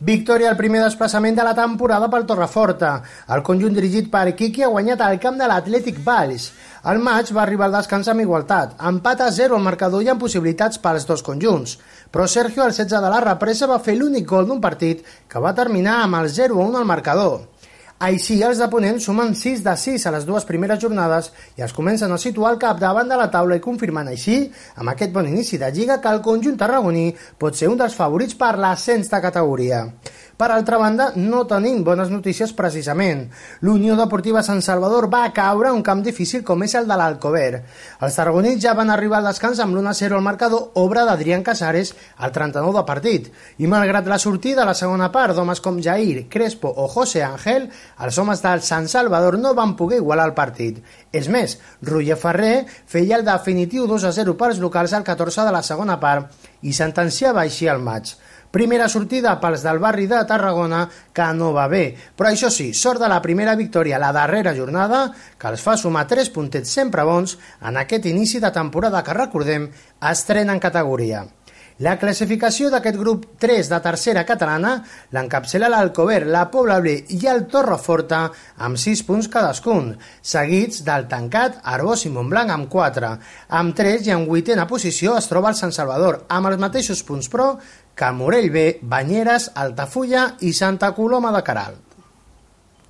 Victòria al primer desplaçament de la temporada pel Torreforta. El conjunt dirigit per Quiqui ha guanyat al camp de l'Atlètic Valls. El maig va arribar al descans amb igualtat, empat a 0 al marcador i amb possibilitats pels dos conjunts. Però Sergio, al 16 de la represa, va fer l'únic gol d'un partit que va terminar amb el 0-1 al marcador. Així, els de Ponent sumen 6 de 6 a les dues primeres jornades i es comencen a situar al capdavant de la taula i confirmant així, amb aquest bon inici de Lliga, que el conjunt tarragoní pot ser un dels favorits per l'ascens de categoria. Per altra banda, no tenim bones notícies precisament. L'Unió Deportiva Sant Salvador va caure a un camp difícil com és el de l'Alcover. Els tarragonins ja van arribar al descans amb l'1-0 al marcador, obra d'Adrián Casares al 39 de partit. I malgrat la sortida a la segona part d'homes com Jair, Crespo o José Ángel, els homes del Sant Salvador no van poder igualar el partit. És més, Roger Ferrer feia el definitiu 2-0 pels locals al 14 de la segona part i sentenciava així el maig. Primera sortida pels del barri de Tarragona que no va bé, però això sí, sort de la primera victòria la darrera jornada que els fa sumar 3 puntets sempre bons en aquest inici de temporada que, recordem, estrena en categoria. La classificació d'aquest grup 3 de tercera catalana l'encapçala l'Alcover, la Pobla Ble i el Torreforta amb 6 punts cadascun, seguits del tancat Arbós i Montblanc amb 4. Amb 3 i en 8a posició es troba el Sant Salvador, amb els mateixos punts però que Morell B, Banyeres, Altafulla i Santa Coloma de Queralt.